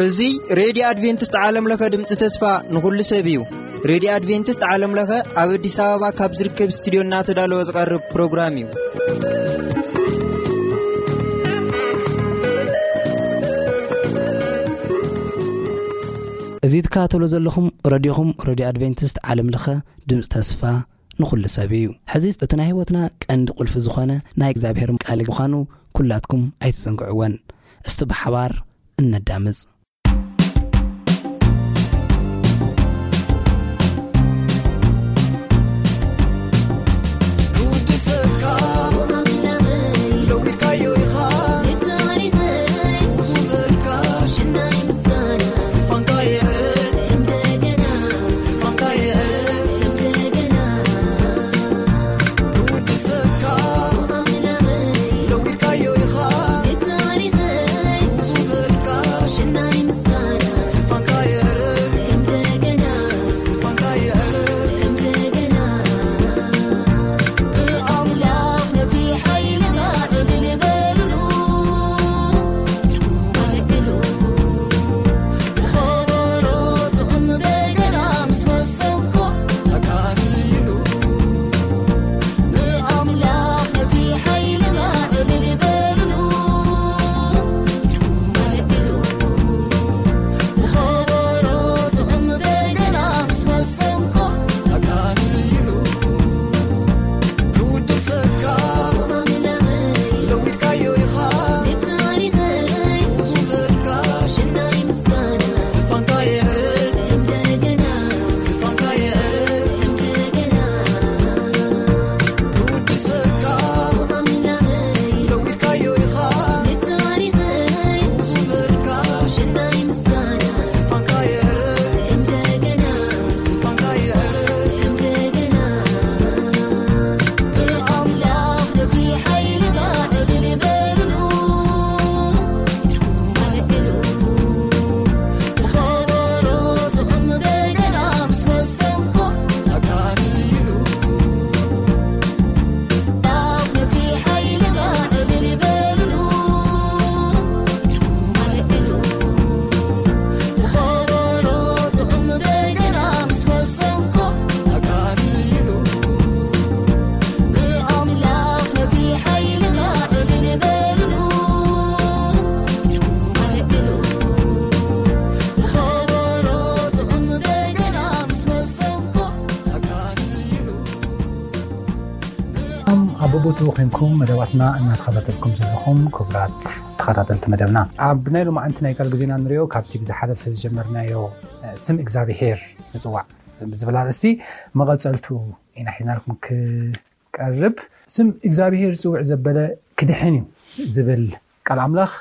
እዚ ሬድዮ ኣድቬንቲስት ዓለም ለኸ ድምፂ ተስፋ ንኹሉ ሰብ እዩ። ሬድዮ ኣድቬንቲስት ዓለም ለኸ ኣብ ኣዲስ ኣበባ ካብ ዝርከብ ስቱዲዮ እናተዳለወ ዝቐርብ ፕሮግራም እዩ። እዚ ትከታተሉ ዘለኹም ረድዮኹም፣ ረድዮ ኣድቬንቲስት ዓለም ለኸ ድምፂ ተስፋ ንኹሉ ሰብ እዩ። ሕዚ እቲ ናይ ህይወትና ቀንዲ ቁልፊ ዝኾነ ናይ እግዚኣብሔር ቃል ምዃኑ ኩላትኩም ኣይትዘንግዕወን። እስቲ ብሓባር እነዳምፅ። ኣብ ቦታኡ ኮንኩም መደባትና እናተኸታተልኩም ዘለኹም ክቡራት ተኸታተልቲ መደብና፣ ኣብ ናይ ሎማዓንቲ ናይ ቃል ግዜና ንሪኦ ካብቲ ብዝሓለፈ ዝጀመርናዮ ስም እግዚኣብሄር ንፅዋዕ ብዝብል ኣርእስቲ መቐፀልቱ ኢና ሒዝናልኩም ክቀርብ። ስም እግዚኣብሄር ዝፅውዕ ዘበለ ክድሕን እዩ ዝብል ቃል ኣምላኽ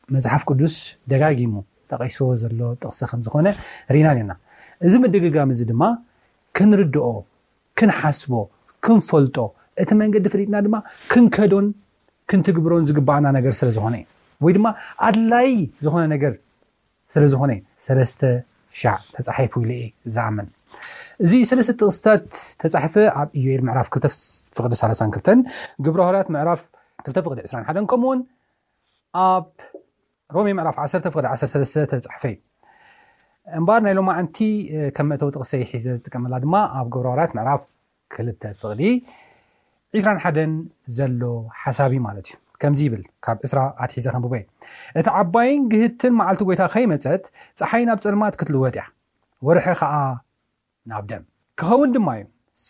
መጽሓፍ ቅዱስ ደጋጊሙ ጠቒስዎ ዘሎ ጥቕሲ ከም ዝኾነ ርኢና ኔርና። እዚ ምድግጋም እዚ ድማ ክንርድኦ፣ ክንሓስቦ፣ ክንፈልጦ፣ እቲ መንገዲ ፈሊጥና ድማ ክንከዶን ክንትግብሮን ዝግባኣና ነገር ስለ ዝኾነ እዩ። ወይ ድማ ኣድላይ ዝኾነ ነገር ስለ ዝኾነ እዩ ሰለስተ ሻዕ ተጻሒፉ ኢለ እየ ዝኣምን። እዚ ሰለስተ ጥቕስታት ተጻሒፈ ኣብ ኢዮኤል ምዕራፍ ክልተ ፍቕዲ ሰላሳን ክልተን፣ ግብረ ሃዋርያት ምዕራፍ ክልተ ፍቕዲ ዕስራን ሓደን፣ ከምኡውን ኣብ ሮሜ ምዕራፍ ዓሰርተ ፍቕዲ ዓሰርተ ሰለስተ ተጻሕፈ እዩ። እምበኣር ናይ ሎማዓንቲ፣ እ፣ ከም መእተዊ ጥቕሰይ ሒዘ ዝጥቀመላ ድማ ኣብ ግብረ ሃዋርያት ምዕራፍ ክልተ ፍቕዲ ዕስራን ሓደን ዘሎ ሓሳብ እዩ ማለት እዩ። ከምዚ ይብል፣ ካብ ዕስራ ኣትሒዘ ከንብቦ እየ። "እቲ ዓባይን ግህትን መዓልቲ ጐይታ ከይመጸት፣ ጸሓይ ናብ ጸልማት ክትልወጥ እያ፣ ወርሒ ኸኣ ናብ ደም ክኸውን ድማ እዩ።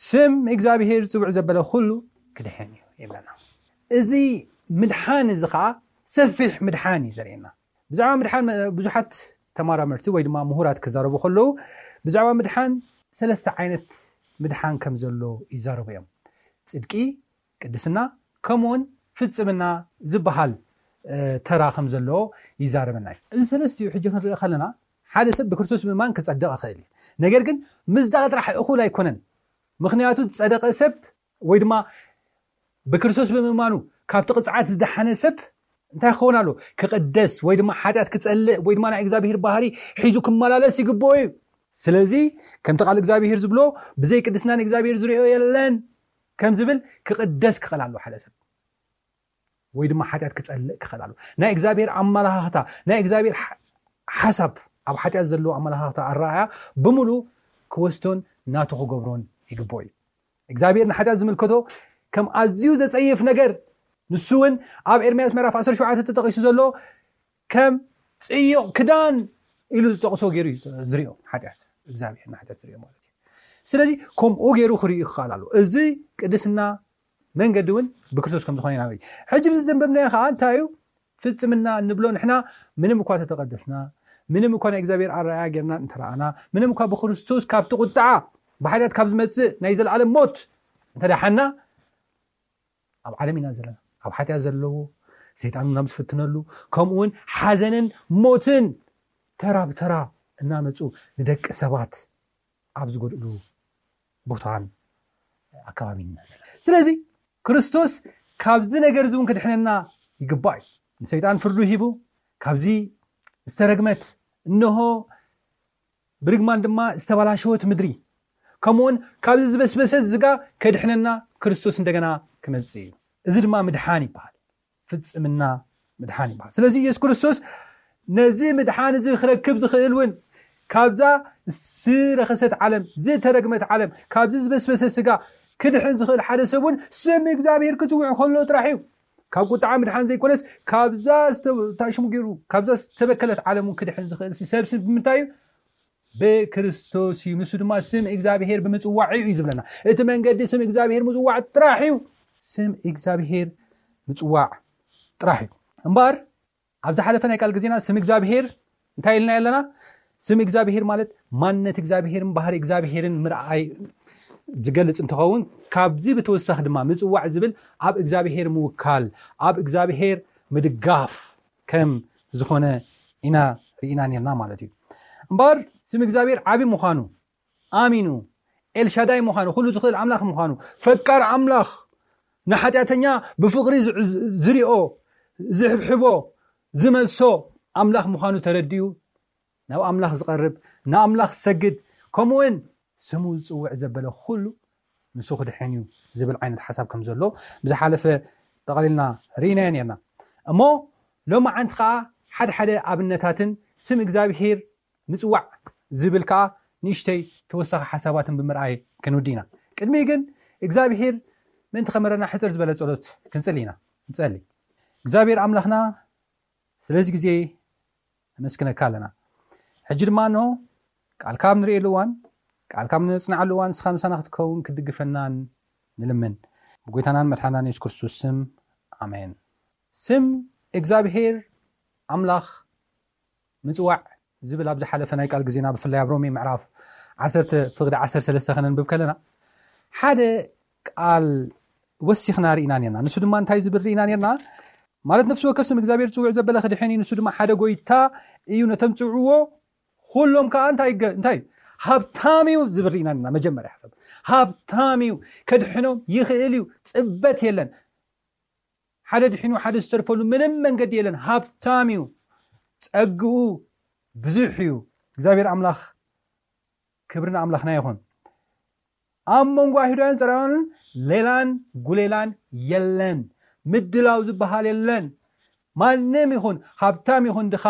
ስም እግዚኣብሄር ዝጽውዕ ዘበለ ኩሉ ክድሕን እዩ" ይብለና። እዚ ምድሓን እዚ ኸኣ ሰፊሕ ምድሓን እዩ ዘርእየና። ብዛዕባ ምድሓን ብዙሓት ተመራመርቲ ወይ ድማ ምሁራት ክዛረቡ ከለዉ፣ ብዛዕባ ምድሓን ሰለስተ ዓይነት ምድሓን ከም ዘሎ ይዛረቡ እዮም። ጽድቂ፣ ቅድስና፣ ከምኡውን ፍጽምና ዝበሃል፣ እ፣ ተራ ከም ዘለዎ ይዛረበና እዩ። እዚ ሰለስቲኡ ሕጂ ክንርኢ ከለና፣ ሓደ ሰብ ብክርስቶስ ምእማን ክጸድቕ ይኽእል እዩ። ነገር ግን ምጽዳቕ ጥራሕ እኹል ኣይኮነን። ምኽንያቱ ዝጸደቐ ሰብ ወይ ድማ ብክርስቶስ ብምእማኑ ካብቲ ቅጽዓት ዝደሓነ ሰብ እንታይ ክኸውን ኣሎ? ክቕደስ ወይ ድማ ሓጢኣት ክጸልእ ወይ ድማ ናይ እግዚኣብሄር ባህሪ ሒዙ ክመላለስ ይግብኦ እዩ። ስለዚ ከምቲ ቃል እግዚኣብሄር ዝብሎ፣ "ብዘይ ቅድስና ንእግዚኣብሄር ዝርእዮ የለን" ከም ዝብል ክቕደስ ክኽእል ኣለዎ ሓደ ሰብ። ወይ ድማ ሓጢኣት ክጸልእ ክኽእል ኣለዎ። ናይ እግዚኣብሔር ኣመላኻኽታ፣ ናይ እግዚኣብሔር ሓ- ሓሳብ፣ ኣብ ሓጢኣት ዘለዎ ኣመላኻኽታ ኣረኣእያ ብምሉእ ክወስዶን ናቱ ክገብሮን ይግብኦ እዩ። እግዚኣብሔር ንሓጢኣት ዝምልከቶ ከም ኣዝዩ ዘጸይፍ ነገር፣ ንሱ እውን ኣብ ኤርምያስ ምዕራፍ ዓሰርተ ሸውዓተ ተጠቒሱ ዘሎ ከም ጽዩቕ ክዳን ኢሉ ዝጠቕሶ ገይሩ እዩ ዝሪኦ። ሓጢኣት እግዚኣብሔር ንሓጢኣት ዝሪኦ ማለት እዩ። ስለዚ ከምኡ ገይሩ ክርእዩ ይኽእል ኣሎ። እዚ ቅድስና መንገዲ እውን ብክርስቶስ ከም ዝኾነ ኢና። ሕጂ ብዚ ዘንበብናዮ ከዓ እንታይ እዩ? ፍጽምና እንብሎ ንሕና ምንም እኳ ተተቐደስና፣ ምንም እኳ ናይ እግዚኣብሔር ኣረኣያ ጌርና እንተረኣና፣ ምንም እኳ ብክርስቶስ ካብቲ ቁጥዓ ብሓጢኣት ካብ ዝመጽእ ናይ ዘለኣለም ሞት እንተዳሓና፣ ኣብ ዓለም ኢና ዘለና። ኣብ ሓጢኣት ዘለዎ ሰይጣን ናብ ዝፍትነሉ፣ ከምኡ እውን ሓዘንን ሞትን ተራ ብተራ እናመፁ ንደቂ ሰባት ኣብ ዝጎድእሉ ቦታን ኣከባቢን ኢና ዘለና። ስለዚ ክርስቶስ ካብዚ ነገር እዚ እውን ክድሕነና ይግባእ እዩ። ንሰይጣን ፍርዱ ሂቡ ካብዚ ዝተረግመት እንሆ ብርግማን ድማ ዝተበላሸወት ምድሪ ከምኡውን ካብዚ ዝበስበሰት ዝጋ ከድሕነና ክርስቶስ እንደገና ክመጽእ እዩ። እዚ ድማ ምድሓን ይበሃል። ፍጽምና ምድሓን ይበሃል። ስለዚ ኢየሱስ ክርስቶስ ነዚ ምድሓን እዚ ክረክብ ዝኽእል እውን ካብዛ ዝረኸሰት ዓለም፣ ዝተረግመት ዓለም፣ ካብዚ ዝበስበሰ ስጋ ክድሕን ዝኽእል ሓደ ሰብ እውን ስም እግዚኣብሔር ክጽውዕ ከሎ ጥራሕ እዩ። ካብ ቁጥዓ ምድሓን ዘይኮነስ ካብዛ ዝተ- ታሽሙ ገይሩ ካብዛ ዝተበከለት ዓለም እውን ክድሕን ዝኽእል ሲ ሰብ ስም ብምንታይ እዩ? ብክርስቶስ እዩ። ንሱ ድማ ስም እግዚኣብሔር ብምጽዋዕ እዩ ዝብለና። እቲ መንገዲ ስም እግዚኣብሔር ምጽዋዕ ጥራሕ እዩ። ስም እግዚኣብሔር ምጽዋዕ ጥራሕ እዩ። እምበኣር ኣብ ዝሓለፈ ናይ ቃል ግዜና ስም እግዚኣብሔር እንታይ ኢልና ኣለና? ስም እግዚኣብሔር ማለት ማንነት እግዚኣብሔርን ባህሪ እግዚኣብሔርን ምርኣይ ዝገልጽ እንትኸውን፣ ካብዚ ብተወሳኺ ድማ ምጽዋዕ ዝብል ኣብ እግዚኣብሔር ምውካል፣ ኣብ እግዚኣብሔር ምድጋፍ ከም ዝኾነ ኢና ርኢና ነርና ማለት እዩ። እምበኣር ስም እግዚኣብሔር ዓቢ ምዃኑ ኣሚኑ፣ ኤልሻዳይ ምዃኑ፣ ኩሉ ዝኽእል ኣምላኽ ምዃኑ፣ ፈቃር ኣምላኽ፣ ንሓጢኣተኛ ብፍቕሪ ዝዕ- ዝሪኦ፣ ዝሕብሕቦ፣ ዝመልሶ ኣምላኽ ምዃኑ ተረዲኡ ናብ ኣምላኽ ዝቐርብ፣ ንኣምላኽ ዝሰግድ፣ ከምኡውን ስሙ ዝጽውዕ ዘበለ ኩሉ ንሱ ክድሕን እዩ ዝብል ዓይነት ሓሳብ ከም ዘሎ ብዝሓለፈ ጠቐሊልና ርኢናዮ ነርና። እሞ ሎሚ ዓንቲ ከዓ ሓደ ሓደ ኣብነታትን ስም እግዚኣብሔር ምጽዋዕ ዝብል ከዓ ንእሽተይ ተወሳኺ ሓሳባትን ብምርኣይ ክንውዲ ኢና። ቅድሚ ግን እግዚኣብሔር ምእንቲ ከመረና ሕፅር ዝበለ ጸሎት ክንጽሊ ኢና። ንጸሊ። እግዚኣብሔር ኣምላኽና ስለዚ ግዜ ነመስግነካ ኣለና። ሕጂ ድማ እንሆ ቃልካ ኣብ ንርእየሉ እዋን፣ ቃልካ ኣብ ነጽንዓሉ እዋን ንስኻ ምሳና ክትከውን ክትድግፈናን ንልምን። ብጎይታናን መድሓናን የሱስ ክርስቶስ ስም ኣሜን። ስም እግዚኣብሔር ኣምላኽ ምጽዋዕ ዝብል ኣብ ዝሓለፈ ናይ ቃል ግዜና ብፍላይ ኣብ ሮሜ ምዕራፍ ዓሰርተ ፍቕዲ ዓሰርተ ሰለስተ ከነንብብ ከለና ሓደ ቃል ወሲኽና ርኢና ነርና። ንሱ ድማ እንታይ ዝብል ርኢና ነርና? ማለት ነፍሲ ወከፍ ስም እግዚኣብሔር ዝጽውዕ ዘበለ ክድሕን እዩ። ንሱ ድማ ሓደ ጎይታ እዩ፣ ነቶም ዝጽውዕዎ ኩሎም ከዓ እንታይ ይገ- እንታይ እዩ? ሃብታም እዩ ዝብል ርኢና ነርና። መጀመርያ ሓሳብ ሃብታም እዩ፣ ከድሕኖም ይኽእል እዩ። ጽበት የለን። ሓደ ድሒኑ ሓደ ዝተርፈሉ ምንም መንገዲ የለን። ሃብታም እዩ፣ ጸግኡ ብዙሕ እዩ። እግዚኣብሔር ኣምላኽ ክብሪ ንኣምላኽና ይኹን። ኣብ መንጎ ኣይሁዳውያን ጸራውያንን ሌላን ጉሌላን የለን። ምድላው ዝበሃል የለን። ማንም ይኹን ሃብታም ይኹን ድኻ፣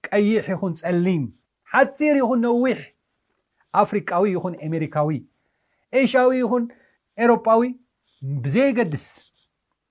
ቀይሕ ይኹን ጸሊም፣ ሓጺር ይኹን ነዊሕ፣ ኣፍሪቃዊ ይኹን ኣሜሪካዊ፣ ኤሽያዊ ይኹን ኤሮጳዊ፣ ብዘየገድስ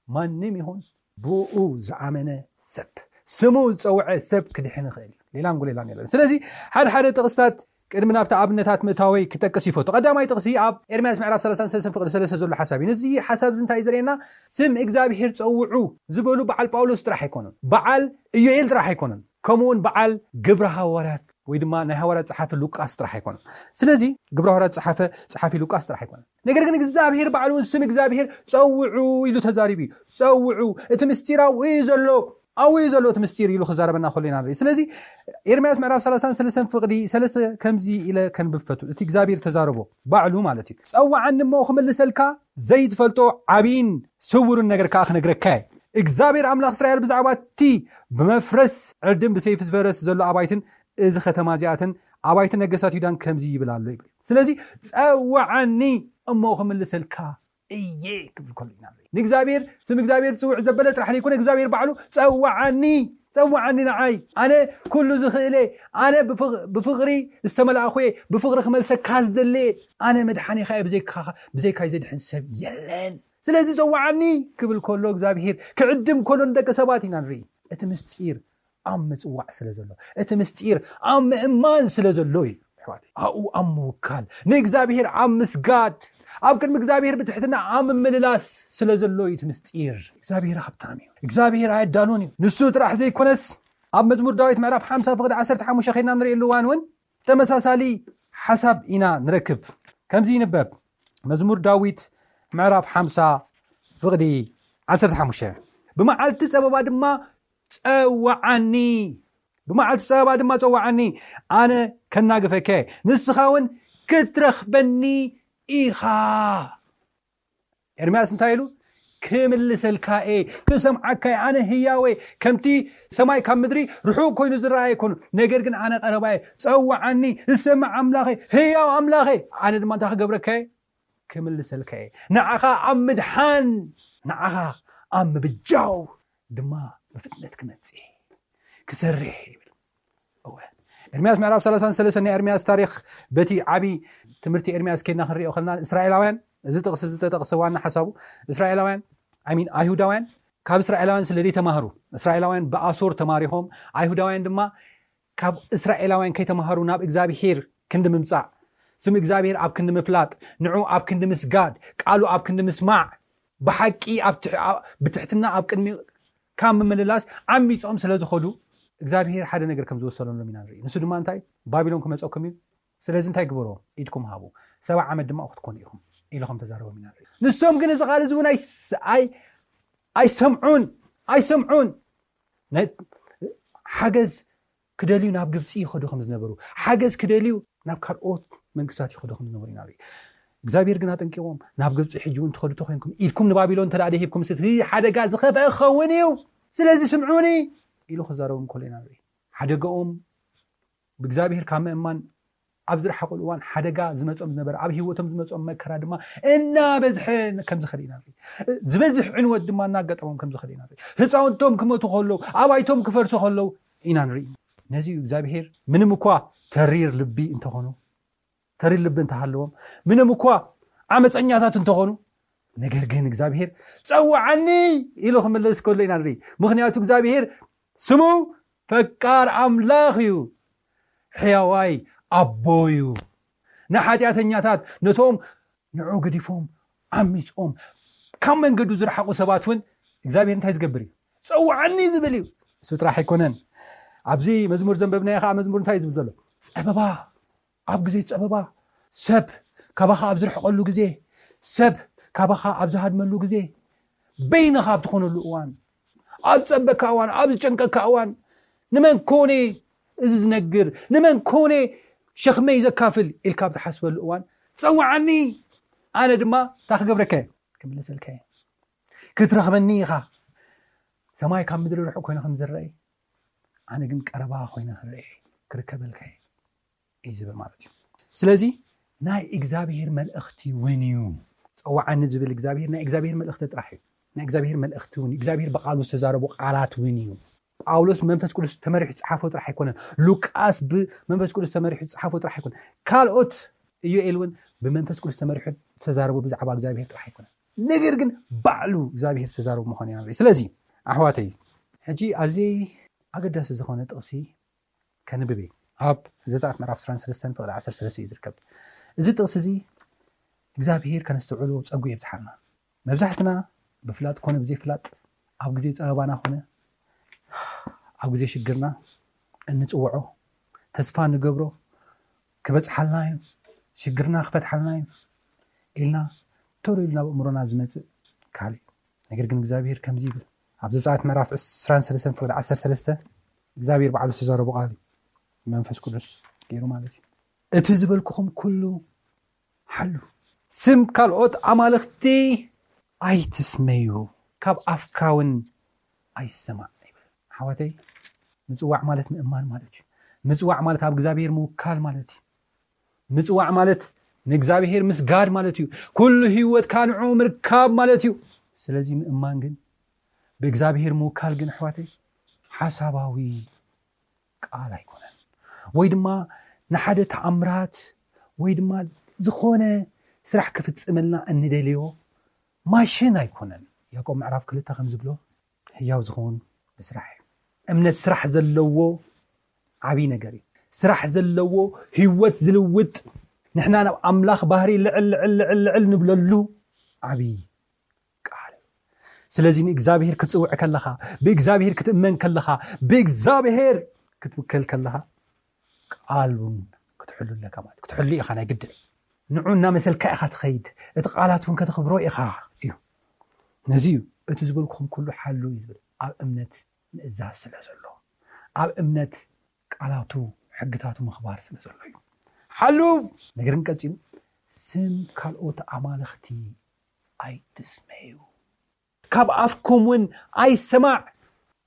ማንም ይኹን ብኡ ዝኣመነ ሰብ፣ ስሙ ዝጸውዐ ሰብ ክድሕን ይኽእል እዩ። ሌላን ጉሌላን የለን። ስለዚ ሓደ ሓደ ጥቕስታት ቅድሚ ናብቲ ኣብነታት ምእታወይ ክጠቅስ ይፈቱ። ቀዳማይ ጥቕሲ ኣብ ኤርምያስ ምዕራፍ ሰላሳን ሰለስተን ፍቕዲ ሰለስተ ዘሎ ሓሳብ እዩ። ነዚ ሓሳብ እዚ እንታይ እዩ ዘርእየና? ስም እግዚኣብሔር ጸውዑ ዝበሉ በዓል ጳውሎስ ጥራሕ ኣይኮኑን። በዓል ኢዮኤል ጥራሕ ኣይኮኑን። ከምኡውን በዓል ግብረ ሃዋርያት ወይ ድማ ናይ ሃዋርያት ጸሓፊ ሉቃስ ጥራሕ ኣይኮኑን። ስለዚ ግብረ ሃዋርያት ጸሓፈ ጸሓፊ ሉቃስ ጥራሕ ኣይኮነን። ነገር ግን እግዚኣብሔር ባዕሉ እውን ስም እግዚኣብሔር ጸውዑ ኢሉ ተዛሪቡ እዩ። ጸውዑ፣ እቲ ምስጢር ኣብኡ እዩ ዘሎ፣ ኣብኡ እዩ ዘሎ እቲ ምስጢር ኢሉ ክዛረበና ከሎ ኢና ንርኢ። ስለዚ ኤርምያስ ምዕራፍ ሰላሳን ሰለስተን ፍቕዲ ሰለስተ ከምዚ ኢለ ከንብብ ፈቱ። እቲ እግዚኣብሔር ተዛረቦ ባዕሉ ማለት እዩ። ጸውዓኒ እሞ ክምልሰልካ፣ ዘይትፈልጦ ዓብይን ስውርን ነገር ከኣ ክነግረካ እየ። እግዚኣብሔር ኣምላኽ እስራኤል ብዛዕባ እቲ ብመፍረስ ዕርድን ብሰይፊ ዝፈረስ ዘሎ ኣባይትን እዚ ከተማ እዚኣትን ኣባይቲ ነገስታት ይሁዳን ከምዚ ይብል ኣሎ ይብል። ስለዚ ጸውዓኒ እሞ ክምልሰልካ እየ ክብል ከሎ ኢና ንርኢ። ንእግዚኣብሔር፣ ስም እግዚኣብሔር ዝጽውዕ ዘበለ ጥራሕ ዘይኮነ እግዚኣብሔር ባዕሉ ጸውዓኒ፣ ጸውዓኒ ንዓይ፣ ኣነ ኩሉ ዝኽእለ፣ ኣነ ብፍቕ- ብፍቕሪ ዝተመላእኹ እየ፣ ብፍቕሪ ክመልሰካ ዝደሊ እየ፣ ኣነ መድሓኒኻ እየ፣ ብዘይካኻ ብዘይካይ ዘድሕን ሰብ የለን። ስለዚ ጸውዓኒ ክብል ከሎ እግዚኣብሔር ክዕድም ከሎ ንደቂ ሰባት ኢና ንርኢ። እቲ ምስጢር ኣብ ምጽዋዕ ስለ ዘሎ፣ እቲ ምስጢር ኣብ ምእማን ስለ ዘሎ እዩ። ኣሕዋተይ፣ ኣብኡ ኣብ ምውካል፣ ንእግዚኣብሔር ኣብ ምስጋድ፣ ኣብ ቅድሚ እግዚኣብሔር ብትሕትና ኣብ ምምልላስ ስለ ዘሎ እዩ እቲ ምስጢር። እግዚኣብሔር ሃብታም እዩ። እግዚኣብሔር ኣየዳሉን እዩ። ንሱ ጥራሕ ዘይኮነስ ኣብ መዝሙር ዳዊት ምዕራፍ ሓምሳ ፍቕዲ ዓሰርተ ሓሙሽተ ኸይድና ንርእየሉ እዋን እውን ተመሳሳሊ ሓሳብ ኢና ንረክብ። ከምዚ ይንበብ፣ መዝሙር ዳዊት ምዕራፍ ሓምሳ ፍቕዲ ዓሰርተ ሓሙሽተ፣ ብመዓልቲ ጸበባ ድማ ጸውዓኒ፣ ብመዓልቲ ጸበባ ድማ ጸውዓኒ፣ ኣነ ከናግፈከ፣ ንስኻ እውን ክትረኽበኒ ኢኻ። ኤርምያስ እንታይ ኢሉ? ክምልሰልካ እየ፣ ክሰምዓካ እየ፣ ኣነ ህያወ፣ ከምቲ ሰማይ ካብ ምድሪ ርሑቕ ኮይኑ ዝረኣየ ኣይኮኑ፣ ነገር ግን ኣነ ቀረባ እየ፣ ጸውዓኒ፣ ዝሰምዕ ኣምላኸ፣ ህያው ኣምላኸ፣ ኣነ ድማ እንታይ ክገብረካ እየ? ክምልሰልካ እየ። ንዓኻ ኣብ ምድሓን፣ ንዓኻ ኣብ ምብጃው ድማ ብፍጥነት ክመጽእ እየ፣ ክሰርሕ እየ ይብል። እወ፣ ኤርምያስ ምዕራፍ ሰላሳን ሰለስተን ናይ ኤርምያስ ታሪኽ፣ በቲ ዓቢ ትምህርቲ ኤርምያስ ኬድና ክንሪኦ ከለና፣ እስራኤላውያን፣ እዚ ጥቕሲ እዚ ተጠቕሰ ዋና ሓሳቡ፣ እስራኤላውያን፣ I mean ኣይሁዳውያን ካብ እስራኤላውያን ስለ ዘይተማህሩ፣ እስራኤላውያን ብኣሶር ተማሪኾም፣ ኣይሁዳውያን ድማ ካብ እስራኤላውያን ከይተማሃሩ ናብ እግዚኣብሔር ክንዲ ምምጻእ፣ ስም እግዚኣብሔር ኣብ ክንዲ ምፍላጥ፣ ንዑ ኣብ ክንዲ ምስጋድ፣ ቃሉ ኣብ ክንዲ ምስማዕ፣ ብሓቂ ኣብ ትሕ- ኣብ- ብትሕትና ኣብ ቅድሚ ካብ ምምልላስ ዓሚጾም ስለ ዝኸዱ፣ እግዚኣብሔር ሓደ ነገር ከም ዝወሰነሎም ኢና ንርኢ። ንሱ ድማ እንታይ? ባቢሎን ክመጸኩም እዩ፣ ስለዚ እንታይ ግበርዎ? ኢድኩም ሃቡ፣ ሰብዓ ዓመት ድማ ክትኮኑ ኢኹም ኢሉ ከም ተዛረቦም ኢና ንርኢ። ንሶም ግን እዚ ቃል እዚ እውን ኣይስ- ኣይ- ኣይሰምዑን፣ ኣይሰምዑን። ናይ- ሓገዝ ክደልዩ ናብ ግብፂ ይኸዱ ከም ዝነበሩ፣ ሓገዝ ክደልዩ ናብ ካልኦት መንግስታት ይኸዱ ከም ዝነበሩ ኢና ንርኢ። እግዚኣብሔር ግን ኣጠንቂቖም፣ ናብ ግብፂ ሕጂ እውን ትኸዱ ተኮይንኩም፣ ኢድኩም ንባቢሎን እንተ ደኣ ደሂብኩም፣ እቲ ሓደጋ ዝኸፍአ ክኸውን እዩ፣ ስለዚ ስምዑኒ ኢሉ ክዛረቦም ከሎ ኢና ንርኢ። ሓደጋኦም ብእግዚኣብሔር ካብ ምእማን ኣብ ዝረሓቑሉ እዋን፣ ሓደጋ ዝመጾም ዝነበረ፣ ኣብ ህይወቶም ዝመጾም መከራ ድማ እናበዝሐ ከም ዝኸደ ኢና ንርኢ። ዝበዝሕ ዕንወት ድማ እናጋጠሞም ከም ዝኸደ ኢና ንርኢ። ህፃውንቶም ክመቱ ከለዉ፣ ኣባይቶም ክፈርሱ ከለዉ ኢና ንርኢ። ነዚ እዩ እግዚኣብሔር ምንም እኳ ተሪር ልቢ እንተኾኑ፣ ተሪር ልቢ እንተሃለዎም፣ ምንም እኳ ዓመፀኛታት እንተኾኑ፣ ነገር ግን እግዚኣብሔር ጸውዓኒ ኢሉ ክምልስ ከሎ ኢና ንርኢ። ምኽንያቱ እግዚኣብሔር ስሙ ፈቃር ኣምላኽ እዩ፣ ሕያዋይ ኣቦ እዩ። ንሓጢኣተኛታት፣ ነቶም ንዑ ገዲፎም ዓሚጾም ካብ መንገዱ ዝረሓቑ ሰባት እውን እግዚኣብሔር እንታይ ዝገብር እዩ? ጸውዓኒ ዝብል እዩ። እሱ ጥራሕ ኣይኮነን። ኣብዚ መዝሙር ዘንበብናዮ ከዓ መዝሙር እንታይ እዩ ዝብል ዘሎ? ጸበባ፣ ኣብ ግዜ ጸበባ፣ ሰብ ካባኻ ኣብ ዝርሕቐሉ ግዜ፣ ሰብ ካባኻ ኣብ ዝሃድመሉ ግዜ፣ በይንኻ ኣብ ትኾነሉ እዋን፣ ኣብ ጸበካ እዋን፣ ኣብ ዝጨንቀካ እዋን፣ ንመን ኮነ እዚ ዝነግር፣ ንመን ኮነ ሸኽመይ ዘካፍል ኢልካ ኣብ ትሓስበሉ እዋን፣ ጸውዓኒ፣ ኣነ ድማ እንታይ ክገብረካ እየ? ክምልሰልካ እየ። ክትረኽበኒ ኢኻ። ሰማይ ካብ ምድሪ ርሑቕ ኮይኑ ከም ዝረአ፣ ኣነ ግን ቀረባ ኮይነ ክረአ እየ፣ ክርከበልካ እየ እዩ ዝብል ማለት እዩ። ስለዚ ናይ እግዚኣብሔር መልእኽቲ እውን እዩ። ጸውዓኒ ዝብል እግዚኣብሔር ናይ እግዚኣብሔር መልእኽቲ ጥራሕ እዩ። ናይ እግዚኣብሔር መልእኽቲ እውን እዩ። እግዚኣብሔር ብቃሉ ዝተዛረቡ ቃላት እውን እዩ። ጳውሎስ ብመንፈስ ቅዱስ ተመሪሑ ዝጸሓፎ ጥራሕ ኣይኮነን። ሉቃስ ብመንፈስ ቅዱስ ተመሪሑ ዝጸሓፎ ጥራሕ ኣይኮነን። ካልኦት ኢዮኤል እውን ብመንፈስ ቅዱስ ተመሪሑ ዝተዛረቡ ብዛዕባ እግዚኣብሔር ጥራሕ ኣይኮነን። ነገር ግን ባዕሉ እግዚኣብሔር ዝተዛረቡ ምዃኑ ኢና ንርኢ። ስለዚ ኣሕዋተይ፣ ሕጂ ኣዝየ ኣገዳሲ ዝኾነ ጥቕሲ ከንብብ እየ። ኣብ ዘጸኣት ምዕራፍ ዕስራን ሰለስተን ፍቕዲ ዓሰርተ ሰለስተ እዩ ዝርከብ። እዚ ጥቕሲ እዚ እግዚኣብሔር ከነስተውዕሎ ጸጉ የብዝሓልና። መብዛሕትና ብፍላጥ ኮነ ብዘይፍላጥ ኣብ ግዜ ጸበባና ኮነ ኣብ ግዜ ሽግርና እንጽውዖ፣ ተስፋ ንገብሮ፣ ክበጽሓልና እዩ፣ ሽግርና ክፈትሓልና እዩ ኢልና ቶሎ ኢሉ ናብ ኣእምሮና ዝመጽእ ቃል እዩ። ነገር ግን እግዚኣብሔር ከምዚ ይብል፣ ኣብ ዘጸኣት ምዕራፍ ዕስራን ሰለስተን ፍቕዲ ዓሰርተ ሰለስተ እግዚኣብሔር ባዕሉ ዝተዛረቦ ቃል እዩ፣ መንፈስ ቅዱስ ገይሩ ማለት እዩ። እቲ ዝበልኩኹም ኩሉ ሓሉ፣ ስም ካልኦት ኣማልኽቲ ኣይትስመዩ፣ ካብ ኣፍካ እውን ኣይሰማዕ ይብል። ኣሕዋተይ፣ ምጽዋዕ ማለት ምእማን ማለት እዩ። ምጽዋዕ ማለት ኣብ እግዚኣብሔር ምውካል ማለት እዩ። ምጽዋዕ ማለት ንእግዚኣብሔር ምስጋድ ማለት እዩ። ኩሉ ህይወትካ ንዕኡ ምርካብ ማለት እዩ። ስለዚ ምእማን ግን፣ ብእግዚኣብሔር ምውካል ግን፣ ኣሕዋተይ፣ ሓሳባዊ ቃል ኣይኮነን። ወይ ድማ ንሓደ ተኣምራት ወይ ድማ ዝኾነ ስራሕ ክፍጽመልና እንደልዮ ማሽን ኣይኮነን። ያዕቆብ ምዕራፍ ክልተ ከም ዝብሎ፣ ህያው ዝኸውን ብስራሕ እዩ። እምነት ስራሕ ዘለዎ ዓብዪ ነገር እዩ። ስራሕ ዘለዎ ህይወት ዝልውጥ፣ ንሕና ናብ ኣምላኽ ባህሪ ልዕል ልዕል ልዕል ልዕል ንብለሉ ዓብዪ ቃል። ስለዚ ንእግዚኣብሔር ክትጽውዕ ከለኻ፣ ብእግዚኣብሔር ክትእመን ከለኻ፣ ብእግዚኣብሔር ክትውከል ከለኻ፣ ቃል እውን ክትሕሉ ኣለካ ማለት እዩ። ክትሕሉ ኢኻ፣ ናይ ግድን። ንዑ እናመሰልካ ኢኻ ትኸይድ፣ እቲ ቃላት እውን ከተኽብሮ ኢኻ እዩ። ነዚ እዩ እቲ ዝበልኩኹም ኩሉ ሓሉ እዩ ዝብል። ኣብ እምነት ምእዛዝ ስለ ዘሎ፣ ኣብ እምነት ቃላቱ ሕግታቱ ምኽባር ስለ ዘሎ እዩ። ሓሉ። ነገር ግን ቀጺሉ፣ ስም ካልኦት ኣማልኽቲ ኣይትስመዩ፣ ካብ ኣፍኩም እውን ኣይሰማዕ።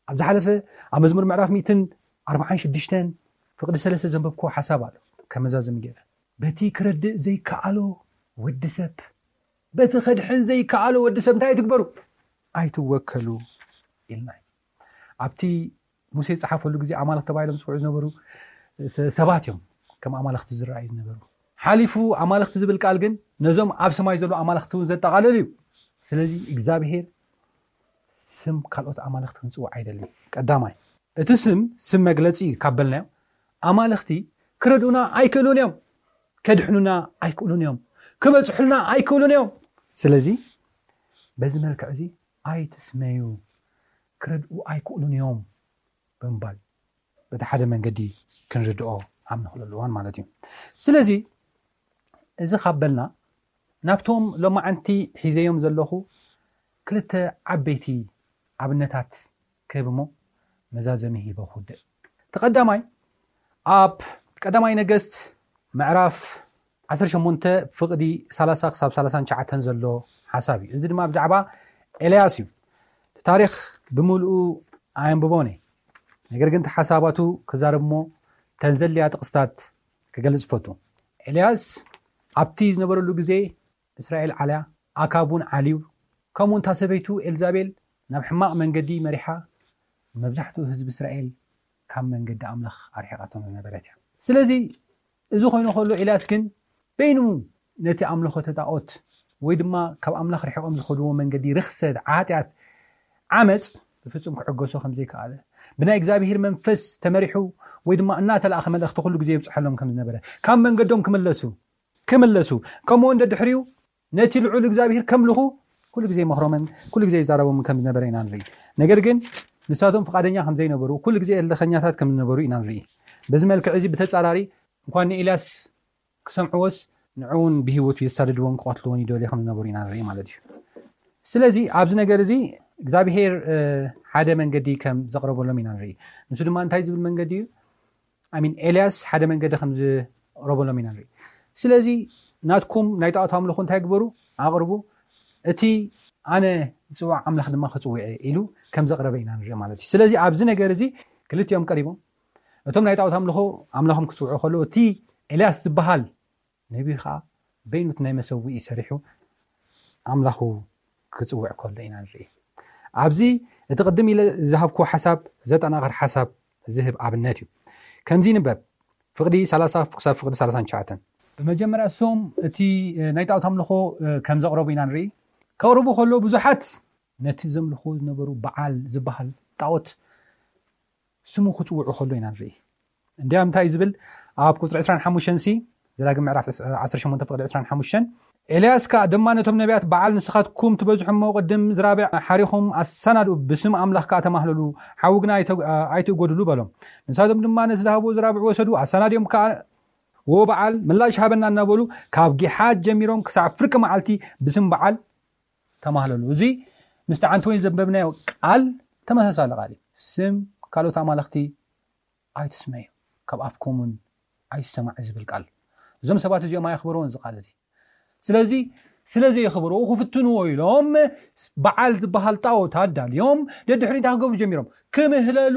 ኣብ ዝሓለፈ ኣብ መዝሙር ምዕራፍ ሚእትን ኣርባዓን ሽዱሽተን ፍቕዲ ሰለስተ ዘንበብክዎ ሓሳብ ኣሎ። ከመዛዘሚ ገይረ፣ በቲ ክረድእ ዘይከኣሎ ወዲ ሰብ፣ በቲ ከድሕን ዘይከኣሎ ወዲ ሰብ እንታይ ኣይትግበሩ? ኣይትወከሉ ኢልና። ኣብቲ ሙሴ ዝጸሓፈሉ ግዜ ኣማልኽቲ ተባሂሎም ዝጽውዑ ዝነበሩ ስ-፣ ሰባት እዮም ከም ኣማልኽቲ ዝረኣዩ ዝነበሩ። ሓሊፉ ኣማልኽቲ ዝብል ቃል ግን ነዞም ኣብ ሰማይ ዘለዉ ኣማልኽቲ እውን ዘጠቓልል እዩ። ስለዚ እግዚኣብሔር ስም ካልኦት ኣማልኽቲ ክንጽውዕ ኣይደልን። ቀዳማይ፣ እቲ ስም፣ ስም መግለጺ እዩ ካብ በልናዮ፣ ኣማልኽቲ ክረድኡና ኣይክእሉን እዮም፣ ከድሕኑና ኣይክእሉን እዮም፣ ክበጽሑልና ኣይክእሉን እዮም። ስለዚ በዚ መልክዕ እዚ ኣይትስመዩ፣ ክረድኡ ኣይክእሉን እዮም ብምባል በቲ ሓደ መንገዲ ክንርድኦ ኣብ ንኽእለሉ እዋን ማለት እዩ። ስለዚ እዚ ካብ በልና፣ ናብቶም ሎማዓንቲ ሒዘዮም ዘለኹ ክልተ ዓበይቲ ኣብነታት ክህብ እሞ መዛዘሚ ሂበ ክውድእ። እቲ ቀዳማይ ኣብ ቀዳማይ ነገስት ምዕራፍ ዓሰርተ ሸሞንተ ፍቕዲ ሰላሳ ክሳብ ሰላሳን ትሽዓተን ዘሎ ሓሳብ እዩ። እዚ ድማ ብዛዕባ ኤልያስ እዩ። እቲ ታሪኽ ብምልኡ ኣየንብቦን እየ። ነገር ግን እቲ ሓሳባቱ ክዛረብ እሞ ተን ዘድልያ ጥቕስታት ክገልጽ ይፈቱ። ኤልያስ ኣብቲ ዝነበረሉ ግዜ እስራኤል ዓልያ፣ ኣካብ እውን ዓልዩ፣ ከምኡ እታ ሰበይቱ ኤልዛቤል ናብ ሕማቕ መንገዲ መሪሓ መብዛሕትኡ ህዝቢ እስራኤል ካብ መንገዲ ኣምላኽ ኣርሒቓቶም ዝነበረት እያ። ስለዚ እዚ ኮይኑ ከሎ ኤልያስ ግን በይኑ ነቲ ኣምልኾተ ጣዖት ወይ ድማ ካብ ኣምላኽ ርሒቖም ዝኸድዎ መንገዲ ርኽሰት፣ ዓጢኣት፣ ዓመፅ ብፍጹም ክዕገሶ ከም ዘይከኣለ፣ ብናይ እግዚኣብሔር መንፈስ ተመሪሑ ወይ ድማ እናተላእኸ መልእኽቲ ኩሉ ግዜ ይብጽሐሎም ከም ዝነበረ፣ ካብ መንገዶም ክምለሱ ክምለሱ፣ ከምኡ እውን ደድሕሪኡ ነቲ ልዑል እግዚኣብሔር ከምልኹ ኩሉ ግዜ ይመኽሮምን ኩሉ ግዜ ይዛረቦምን ከም ዝነበረ ኢና ንርኢ። ነገር ግን ንሳቶም ፍቓደኛ ከም ዘይነበሩ፣ ኩሉ ግዜ እልኸኛታት ከም ዝነበሩ ኢና ንርኢ። በዚ መልክዕ እዚ ብተጻራሪ እንኳን ንኤልያስ ክሰምዕዎስ ንዕውን ብህይወቱ የሳድድዎን ክቐትልዎን ይደልዩ ከም ዝነበሩ ኢና ንርኢ ማለት እዩ። ስለዚ ኣብዚ ነገር እዚ እግዚኣብሔር፣ እ፣ ሓደ መንገዲ ከም ዘቕረበሎም ኢና ንርኢ። ንሱ ድማ እንታይ ዝብል መንገዲ እዩ? ኣሚን፣ ኤልያስ ሓደ መንገዲ ከም ዝቕረበሎም ኢና ንርኢ። ስለዚ ናትኩም ናይ ጣዖት ኣምልኾ እንታይ ግበሩ? ኣቕርቡ፣ እቲ ኣነ ዝጽዋዕ ኣምላኽ ድማ ክጽውዕ እየ ኢሉ ከም ዘቕረበ ኢና ንርኢ ማለት እዩ። ስለዚ ኣብዚ ነገር እዚ ክልቲኦም ቀሪቦም፣ እቶም ናይ ጣዖት ኣምልኾ ኣምላኾም ክጽውዑ ከለዉ፣ እቲ ኤልያስ ዝበሃል ነቢይ ኸዓ በይኑ እቲ ናይ መሰውኢ ሰሪሑ ኣምላኹ ክጽውዕ ከሎ ኢና ንርኢ። ኣብዚ እቲ ቅድም ኢለ ዝሃብክዎ ሓሳብ ዘጠናኽር ሓሳብ ዝህብ ኣብነት እዩ። ከምዚ ይንበብ፣ ፍቕዲ ሰላሳ ክሳብ ፍቕዲ ሰላሳን ትሽዓተን። ብመጀመርያ እሶም እቲ፣ እ፣ ናይ ጣዖት ኣምልኾ፣ እ፣ ከም ዘቕረቡ ኢና ንርኢ። ከቕርቡ ከሎ ብዙሓት ነቲ ዘምልኽዎ ዝነበሩ በዓል ዝበሃል ጣዖት ስሙ ክጽውዑ ከሎ ኢና ንርኢ። እንዲያም እንታይ እዩ ዝብል? ኣብ ቁጽሪ ዕስራን ሓሙሽተን ሲ፣ ዘዳግም ምዕራፍ ዕስ-፣ ዓሰርተ ሸሞንተ ፍቕዲ ዕስራን ሓሙሽተን፣ ኤልያስ ከኣ ድማ ነቶም ነቢያት በዓል ንስኻትኩም ትበዝሑ እሞ ቅድም ዝራብዕ ሓሪኹም ኣሰናድኡ፣ ብስም ኣምላኽ ከኣ ተማህለሉ፣ ሓዊ ግና ኣይተ-፣ ኣይትእጎድሉ በሎም። ንሳቶም ድማ ነቲ ዝሃብዎ ዝራብዕ ወሰዱ፣ ኣሰናድዮም ከኣ "ወ በዓል ምላሽ ሃበና" እናበሉ ካብ ጊሓት ጀሚሮም ክሳብ ፍርቂ መዓልቲ ብስም በዓል ተማህለሉ። እዚ ምስቲ ዓንተ ወይን ዘንበብናዮ ቃል ተመሳሳሊ ቃል እዩ። ስም ካልኦት ኣማልኽቲ ኣይትስመዩ፣ ካብ ኣፍኩም እውን ኣይሰማዕ ዝብል ቃል። እዞም ሰባት እዚኦም ኣየኽበርዎን እዚ ቃል እዚ። ስለዚ ስለ ዘየኽበርዎ ክፍትንዎ ኢሎም በዓል ዝበሃል ጣዖት ኣዳልዮም ደድሕሪኡ እንታይ ክገብሩ ጀሚሮም? ክምህለሉ፣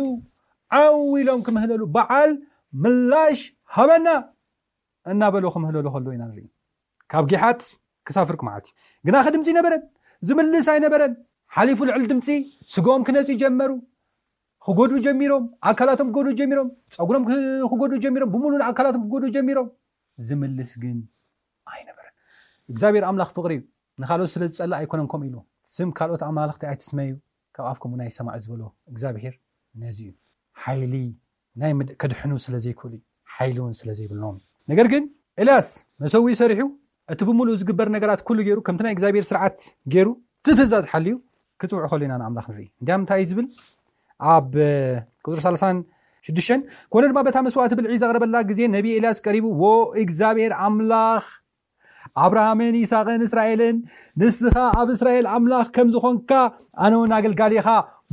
ዓው ኢሎም ክምህለሉ፣ "በዓል ምላሽ ሃበና" እናበሉ ክምህለሉ ከለዉ ኢና ንርኢ። ካብ ጊሓት ክሳፍርክ ማለት እዩ። ግና ከ ድምፂ ኣይነበረን፣ ዝምልስ ኣይነበረን። ሓሊፉ ልዕሊ ድምፂ ስጋኦም ክነፂ ጀመሩ። ክጎድኡ ጀሚሮም፣ ኣካላቶም ክጎድኡ ጀሚሮም፣ ፀጉሮም ክጎድኡ ጀሚሮም፣ ብምሉእ ኣካላቶም ክጎድኡ ጀሚሮም። ዝምልስ ግን ኣይነበረን። እግዚኣብሔር ኣምላኽ ፍቕሪ እዩ። ንኻልኦት ስለ ዝጸልእ ኣይኮነን ከምኡ ኢሉ። ስም ካልኦት ኣማልኽቲ ኣይትስመዩ፣ ካብ ኣፍኩም እውን ኣይሰማዕ ዝበሎ እግዚኣብሔር ነዚ እዩ። ሓይሊ ናይ ምድ- ከድሕኑ ስለ ዘይክእሉ እዩ። ሓይሊ እውን ስለ ዘይብሎም እዩ። ነገር ግን ኤልያስ መሰዊ ሰሪሑ፣ እቲ ብምሉእ ዝግበር ነገራት ኩሉ ገይሩ፣ ከምቲ ናይ እግዚኣብሔር ስርዓት ገይሩ፣ እቲ ትእዛዝ ሓልዩ ክጽውዕ ከሎ ኢና ንኣምላኽ ንርኢ። እንዲያም እንታይ እዩ ዝብል? ኣብ ቁፅሪ ሰላሳን ሽዱሽተን፣ ኮነ ድማ በታ መስዋእቲ ብልዒ ዘቕረበላ ግዜ ነቢ ኤልያስ ቀሪቡ፣ ወ እግዚኣብሔር ኣምላኽ ኣብርሃምን ይስሐቅን እስራኤልን፣ ንስኻ ኣብ እስራኤል ኣምላኽ ከም ዝኾንካ፣ ኣነ እውን ኣገልጋሊኻ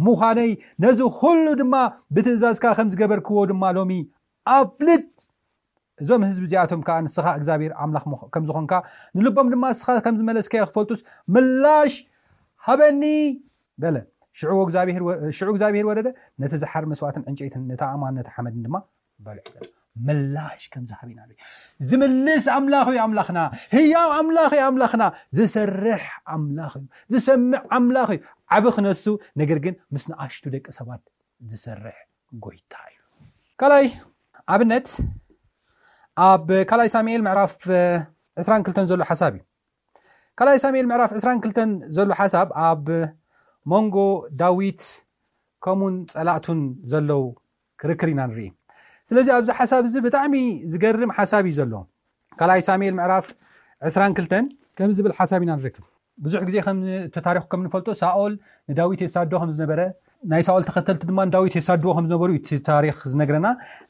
ምዃነይ፣ ነዚ ኩሉ ድማ ብትእዛዝካ ከም ዝገበርክዎ ድማ ሎሚ ኣፍልጥ። እዞም ህዝቢ እዚኣቶም ከዓ ንስኻ እግዚኣብሔር ኣምላኽ ምኽ- ከም ዝኾንካ፣ ንልቦም ድማ ንስኻ ከም ዝመለስካዮ ክፈልጡስ ምላሽ ሃበኒ በለ። ሽዑ እግዚኣብሔር ወ- ሽዑ እግዚኣብሔር ወረደ፣ ነቲ ዝሓር መስዋእትን ዕንጨይትን ነቲ ኣእማን ነቲ ሓመድን ድማ በልዑ። ምላሽ ከም ዝሃብ ኢና ንርኢ። ዝምልስ ኣምላኽ እዩ ኣምላኽና፣ ህያው ኣምላኽ እዩ ኣምላኽና፣ ዝሰርሕ ኣምላኽ እዩ፣ ዝሰምዕ ኣምላኽ እዩ። ዓቢ ክነሱ፣ ነገር ግን ምስ ንኣሽቱ ደቂ ሰባት ዝሰርሕ ጎይታ እዩ። ካልኣይ ኣብነት ኣብ ካልኣይ ሳሙኤል ምዕራፍ ዕስራን ክልተን ዘሎ ሓሳብ እዩ። ካልኣይ ሳሙኤል ምዕራፍ ዕስራን ክልተን ዘሎ ሓሳብ ኣብ መንጎ ዳዊት ከምኡን ጸላእቱን ዘለዉ ክርክር ኢና ንርኢ። ስለዚ ኣብዚ ሓሳብ እዚ ብጣዕሚ ዝገርም ሓሳብ እዩ ዘሎ። ካልኣይ ሳሙኤል ምዕራፍ ዕስራን ክልተን ከምዚ ዝብል ሓሳብ ኢና ንረክብ። ብዙሕ ግዜ ከም እቲ ታሪኹ ከም ንፈልጦ ሳኦል ንዳዊት የሳዶ ከም ዝነበረ፣ ናይ ሳኦል ተኸተልቲ ድማ ንዳዊት የሳድዎ ከም ዝነበሩ እዩ እቲ ታሪኽ ዝነግረና።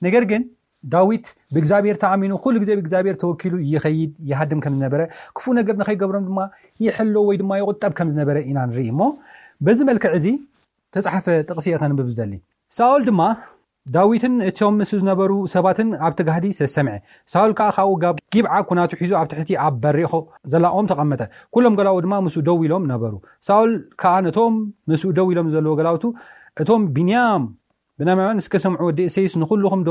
ነገር ግን ዳዊት ብእግዚኣብሔር ተኣሚኑ ኩሉ ግዜ ብእግዚኣብሔር ተወኪሉ ይኸይድ ይሃድም ከም ዝነበረ፣ ክፉእ ነገር ንኸይገብሮም ድማ ይሕሎ ወይ ድማ ይቑጠብ ከም ዝነበረ ኢና ንርኢ። እሞ በዚ መልክዕ እዚ ተጻሕፈ ጥቕሲ እየ ከንብብ ዝደሊ። ሳኦል ድማ ዳዊትን እቶም ምስ ዝነበሩ ሰባትን ኣብቲ ጋህዲ ሰሰምዐ። ሳኦል ከኣ ካብኡ ጋብ ጊብዓ ኩናቱ ሒዙ ኣብ ትሕቲ ኣብ በሪኾ ዘላ ኦም ተቐመጠ። ኩሎም ገላኡ ድማ ምስኡ ደው ኢሎም ነበሩ። ሳኦል ከኣ ነቶም ምስኡ ደው ኢሎም ዘለዉ ገላውቱ፣ እቶም ቢንያም ብናማውያን እስከ ሰምዑ፣ ወዲ እሴይስ ንኹልኹም ዶ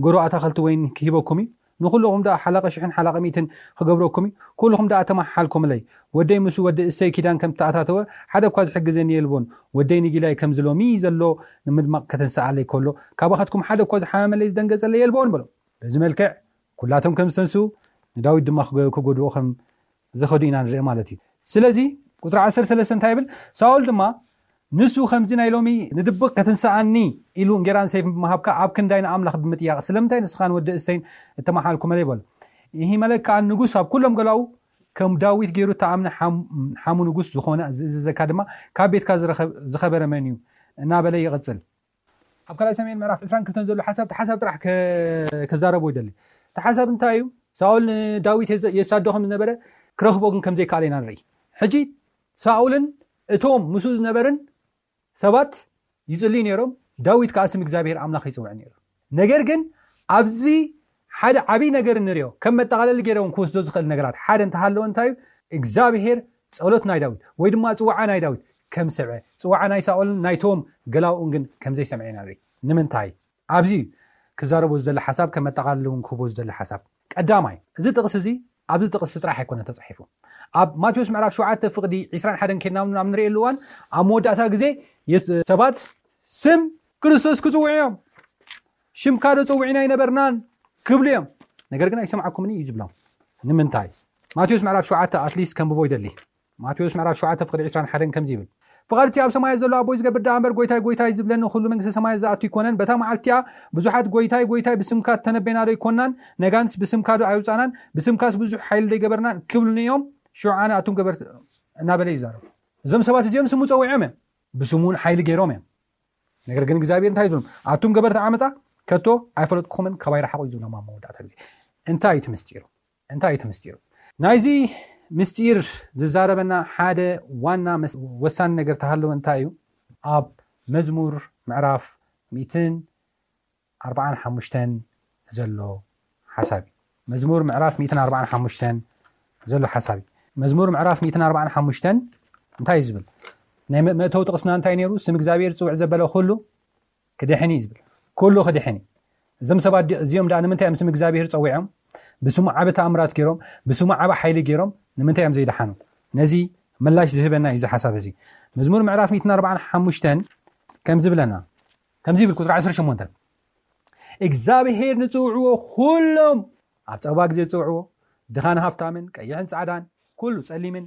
ገሩ ኣታኸልቲ ወይን ክሂበኩም እዩ? ንኹልኹም ዶ ሓላቐ ሽሕን ሓላቐ ሚእትን ክገብረኩም እዩ? ኩልኹም ዶ ኣተማሓልኩምለይ? ወደይ ምስ ወዲ እሰይ ኪዳን ከም ተኣታተወ ሓደ እኳ ዝሕግዘኒ የልቦን። ወደይ ንጊላይ ከምዚ ሎሚ ዘሎ ንምድማቕ ከተንስኣለይ ከሎ ካባኻትኩም ሓደ እኳ ዝሓመመለይ ዝደንገጸለይ የልቦን በሎ። በዚ መልክዕ ኩላቶም ከም ዝተንስኡ ንዳዊት ድማ ክጎ- ክጎድኡ ከም ዝኸዱ ኢና ንርኢ ማለት እዩ። ስለዚ ቁፅሪ ዓሰርተ ሰለስተ እንታይ ይብል? ሳኦል ድማ ንሱ ከምዚ ናይ ሎሚ ንድብቕ ክትንስኣኒ ኢሉ እንጌራን ሰይፍን ብምሃብካ ኣብ ክንዳይ ንኣምላኽ ብምጥያቕ ስለምንታይ ንስኻን ወዲ እሰይን እተመሓልኩመለይ በሎ። ይሂመለክ ከኣ ንጉስ ኣብ ኩሎም ገላኡ ከም ዳዊት ገይሩ እተኣምነ ሓም- ሓሙ ንጉስ ዝኾነ ዝእዝዘካ ድማ ካብ ቤትካ ዝረኸብ- ዝኸበረ መን እዩ እናበለ ይቕጽል። ኣብ ካልኣይ ሳሙኤል ምዕራፍ ዕስራን ክልተን ዘሎ ሓሳብ እቲ ሓሳብ ጥራሕ ከ- ክዛረቦ ይደሊ። እቲ ሓሳብ እንታይ እዩ? ሳኦል ንዳዊት የዘ- የሳዶ ከም ዝነበረ ክረኽቦ ግን ከም ዘይከኣለ ኢና ንርኢ። ሕጂ ሳኦልን እቶም ምስኡ ዝነበርን ሰባት ይጽልዩ ነይሮም። ዳዊት ከኣ ስም እግዚኣብሔር ኣምላኽ ይጽውዕ ነይሩ። ነገር ግን ኣብዚ ሓደ ዓብይ ነገር እንሪኦ ከም መጠቓለሊ ገይረ እውን ክወስዶ ዝኽእል ነገራት ሓደ እንተሃለወ እንታይ እዩ? እግዚኣብሔር ጸሎት ናይ ዳዊት ወይ ድማ ጽዋዓ ናይ ዳዊት ከም ሰምዐ፣ ጽዋዓ ናይ ሳኦልን ናይቶም ገላውኡን ግን ከም ዘይሰምዐ ኢና ንርኢ። ንምንታይ? ኣብዚ ክዛረቦ ዝደሊ ሓሳብ ከም መጠቓለሊ እውን ክህቦ ዝደሊ ሓሳብ ቀዳማይ፣ እዚ ጥቕሲ እዚ ኣብዚ ጥቕሲ ጥራሕ ኣይኮነ ተጻሒፉ። ኣብ ማቴዎስ ምዕራፍ ሸውዓተ ፍቕዲ ዕስራን ሓደን ኬድና ናብ ንርእየሉ እዋን ኣብ መወዳእታ ግዜ የስ- ሰባት ስም ክርስቶስ ክጽውዑ እዮም። ሽምካ ዶ ጸዊዕና ኣይነበርናን ክብሉ እዮም። ነገር ግን ኣይሰምዓኩምን እዩ ዝብሎም። ንምንታይ? ማቴዎስ ምዕራፍ ሸውዓተ ኣትሊስት ከንብቦ ይደሊ። ማቴዎስ ምዕራፍ ሸውዓተ ፍቕዲ ዕስራን ሓደን ከምዚ ይብል፣ ፍቓድ እቲ ኣብ ሰማያት ዘሎ ኣቦይ ዝገብር ደኣ እምበር ጎይታይ ጎይታይ ዝብለኒ ኩሉ መንግስተ ሰማያት ዝኣቱ ኣይኮነን። በታ መዓልቲ እቲኣ ብዙሓት ጎይታይ ጎይታይ ብስምካ ተነበና ዶ ኣይኮናን? ነጋንስ ብስምካ ዶ ኣይውጻናን? ብስምካስ ብዙሕ ሓይሊ ዶ ኣይገበርናን? ክብሉኒ እዮም። ሽዑ ኣነ ኣቱም ገበርቲ እናበለ ይዛረቡ። እዞም ሰባት እዚኦም ስሙ ጸዊዖም እዮም፣ ብስሙ እውን ሓይሊ ገይሮም እዮም። ነገር ግን እግዚኣብሔር እንታይ እዩ ዝብሎም? ኣቱም ገበርቲ ዓመፃ ከቶ ኣይፈለጥኩምን፣ ካባይ ረሓቑ እዩ ዝብሎም ኣብ መወዳእታ ግዜ። እንታይ እዩ እቲ ምስጢሩ? እንታይ እዩ እቲ ምስጢሩ? ናይዚ ምስጢር ዝዛረበና ሓደ ዋና መስ- ወሳኒ ነገር ተሃለወ እንታይ እዩ? ኣብ መዝሙር ምዕራፍ ሚእትን ኣርባዓን ሓሙሽተን ዘሎ ሓሳብ እዩ። መዝሙር ምዕራፍ ሚእትን ኣርባዓን ሓሙሽተን ዘሎ ሓሳብ እዩ። መዝሙር ምዕራፍ ሚእትን ኣርባዓን ሓሙሽተን እንታይ እዩ ዝብል? ናይ መ- መእተዊ ጥቕስና እንታይ ነይሩ? ስም እግዚኣብሔር ዝፅውዕ ዘበለ ኩሉ ክድሕን እዩ ዝብል። ኩሉ ክድሕን እዩ። እዞም ሰባት ዲ- እዚኦም ደኣ ንምንታይ እዮም ስም እግዚኣብሔር ፀዊዖም? ብስሙ ዓቢ ተኣምራት ገይሮም፣ ብስሙ ዓቢ ሓይሊ ገይሮም ንምንታይ እዮም ዘይደሓኑ? ነዚ ምላሽ ዝህበና እዩ እዚ ሓሳብ እዚ። መዝሙር ምዕራፍ ሚእትን ኣርባዓን ሓሙሽተን ከም ዝብለና፣ ከምዚ ይብል ቁፅሪ ዓሰርተ ሸሞንተ፣ እግዚኣብሄር ንፅውዕዎ ኩሎም፣ ኣብ ፀባ ግዜ ዝፅውዕዎ፣ ድኻን ሃፍታምን፣ ቀይሕን ፃዕዳን፣ ኩሉ ጸሊምን፣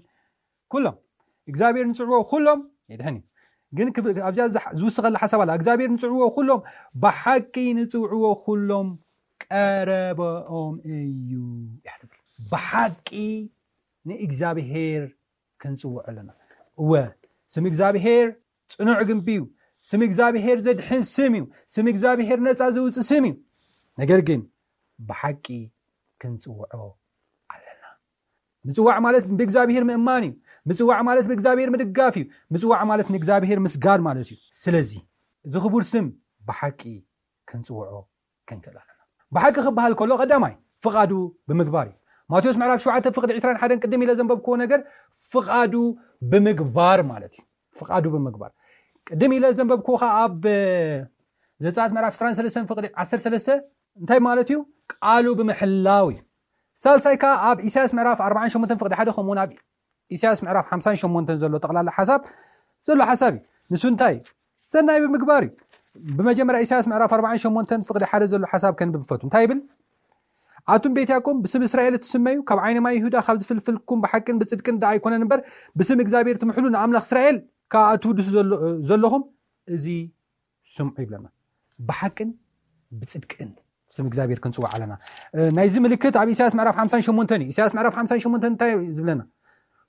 ኩሎም እግዚኣብሔር ንጽውዕዎ ኩሎም የድሕን እዩ። ግን ክብ- ኣብዚኣ ዝሓ- ዝውስኸላ ሓሳብ ኣላ። እግዚኣብሔር ንጽውዕዎ ኩሎም፣ ብሓቂ ንጽውዕዎ ኩሎም ቀረበኦም እዩ እያ ትብል። ብሓቂ ንእግዚኣብሔር ክንጽውዖ ኣለና። እወ፣ ስም እግዚኣብሔር ጽኑዕ ግንቢ እዩ። ስም እግዚኣብሔር ዘድሕን ስም እዩ። ስም እግዚኣብሔር ነጻ ዘውጽእ ስም እዩ። ነገር ግን ብሓቂ ክንጽውዖ ኣለና። ምጽዋዕ ማለት ብእግዚኣብሔር ምእማን እዩ። ምጽዋዕ ማለት ብእግዚኣብሔር ምድጋፍ እዩ። ምጽዋዕ ማለት ንእግዚኣብሔር ምስጋድ ማለት እዩ። ስለዚ እዚ ክቡር ስም ብሓቂ ክንጽውዖ ክንክእል ኣለና። ብሓቂ ክበሃል ከሎ ቀዳማይ ፍቓዱ ብምግባር እዩ። ማቴዎስ ምዕራፍ ሸውዓተ ፍቕዲ ዕስራን ሓደን ቅድም ኢለ ዘንበብክዎ ነገር ፍቓዱ ብምግባር ማለት እዩ። ፍቓዱ ብምግባር ቅድም ኢለ ዘንበብክዎ ኸዓ ኣብ ዘጸኣት ምዕራፍ ዕስራን ሰለስተን ፍቕዲ ዓሰርተ ሰለስተ እንታይ ማለት እዩ? ቃሉ ብምሕላው እዩ። ሳልሳይ ከኣ ኣብ ኢሳያስ ምዕራፍ ኣርባዓን ሸሞንተን ፍቕዲ ሓደ ከምኡውን ኣብ ኢሳያስ ምዕራፍ ሓምሳን ሸሞንተን ዘሎ ጠቕላላ ሓሳብ ዘሎ ሓሳብ እዩ። ንሱ እንታይ? ሰናይ ብምግባር እዩ። ብመጀመርያ ኢሳያስ ምዕራፍ ኣርባዓን ሸሞንተን ፍቕዲ ሓደ ዘሎ ሓሳብ ከንብብ ፈቱ። እንታይ ይብል? ኣቱም ቤት ያዕቆብ ብስም እስራኤል እትስመዩ ካብ ዓይኒ ማይ ይሁዳ ካብ ዝፍልፍልኩም ብሓቅን ብጽድቅን ደኣ ኣይኮነን እምበር ብስም እግዚኣብሔር ትምሕሉ ንኣምላኽ እስራኤል ከኣ እትውድሱ ዘሎ- ዘለኹም እዚ ስምዑ ይብለና። ብሓቅን ብጽድቅን ስም እግዚኣብሔር ክንጽዋዕ ኣለና። ናይዚ ምልክት ኣብ ኢሳያስ ምዕራፍ ሓምሳን ሸሞንተን እዩ። ኢሳያስ ምዕራፍ ሓምሳን ሸሞንተን እንታይ ዝብለና?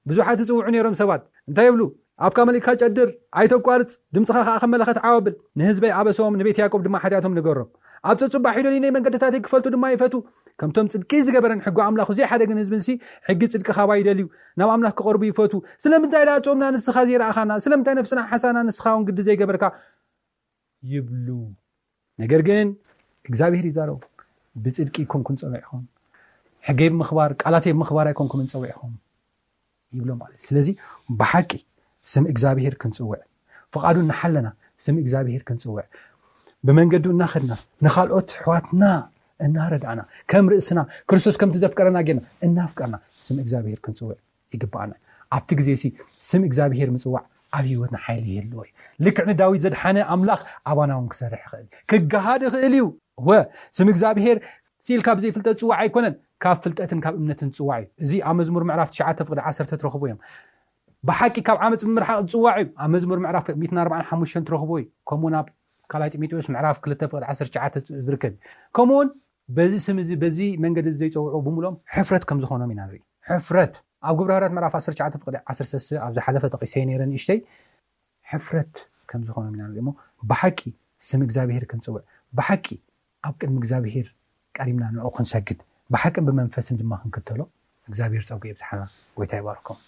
ብዙሓት ይጽውዑ ነይሮም ሰባት እንታይ ይብሉ? ኣብካ መሊእካ ጨድር፣ ኣይተቋርጽ፣ ድምፅኻ ከዓ ከም መለኸት ዓው ኣብል። ንህዝበይ ኣበሶም፣ ንቤት ያዕቆብ ድማ ሓጢኣቶም ንገሮም። ኣብ ፀጹባ ሒደሉ ናይ መንገድታተይ ክፈልጡ ድማ ይፈቱ። ከምቶም ጽድቂ ዝገበረን ሕጊ ኣምላኹ ዘይሓደግን ህዝብንሲ ሕጊ ጽድቂ ካባይ ይደልዩ፣ ናብ ኣምላኽ ክቐርቡ ይፈቱ። ስለምንታይ ደኣ ጾምና ንስኻ ዘይረኣኻና? ስለምንታይ ነፍስና ሓሳና ንስኻ እውን ግዲ ዘይገበርካ? ይብሉ። ነገር ግን እግዚኣብሔር ይዛረቡ። ብጽድቂ ኣይኮንኩን ጸዊዕኹም፣ ሕገይ ብምኽባር ቃላተይ ብምኽባር ኣይኮንኩምን ጸዊዕኹም ይብሎም ማለት እዩ። ስለዚ ብሓቂ ስም እግዚኣብሔር ክንጽውዕ፣ ፍቓዱ እናሓለና ስም እግዚኣብሔር ክንጽውዕ፣ ብመንገዱ እናኸድና ንኻልኦት ኣሕዋትና እናረዳእና ከም ርእስና ክርስቶስ ከምቲ ዘፍቀረና ጌርና እናፍቀርና ስም እግዚኣብሔር ክንጽውዕ ይግባኣና። ኣብቲ ግዜ ሲ ስም እግዚኣብሔር ምጽዋዕ ኣብ ህይወትና ሓይሊ ይህልዎ እዩ። ልክዕ ንዳዊት ዘድሓነ ኣምላኽ ኣባና እውን ክሰርሕ ይኽእል፣ ክገሃድ ይኽእል እዩ። ወ ስም እግዚኣብሔር ሲል ካብ ዘይፍልጠት ጽዋዕ ኣይኮነን፣ ካብ ፍልጠትን ካብ እምነትን ጽዋዕ እዩ። እዚ ኣብ መዝሙር ምዕራፍ ትሽዓተ ፍቕዲ ዓሰርተ ትረኽቡ እዮም። ብሓቂ ካብ ዓመፅ ምርሓቕ ዝጽዋዕ እዩ። ኣብ መዝሙር ምዕራፍ ሚእትን ኣርባዓን ሓሙሽተን ትረኽቡ እዩ። ከምኡውን ኣብ ካልኣይ ጢሞቴዎስ ምዕራፍ ክልተ ፍቕዲ ዓሰርተ ትሽዓተ ዝርከብ እዩ። ከምኡውን በዚ ስም እዚ በዚ መንገዲ እዚ ዘይጸውዑ ብምሎም ሕፍረት ከም ዝኾኖም ኢና ንርኢ። ሕፍረት ኣብ ግብረ ሃዋርያት ምዕራፍ ዓሰርተ ትሽዓተ ፍቕዲ ዓሰርተ ሰለስተ ኣብ ዝሓለፈ ጠቒሰ ነይረ ንእሽተይ ሕፍረት ከም ዝኾኖም ኢና ንርኢ። እሞ ብሓቂ ስም እግዚኣብሔር ክንጽውዕ፣ ብሓቂ ኣብ ቅድሚ እግዚኣብሔር ቀሪምና ንዕኡ ክንሰግድ፣ ብሓቅን ብመንፈስን ድማ ክንክተሎ እግዚኣብሔር ጸጉ የብዝሓና። ጎይታ ይባርኮም።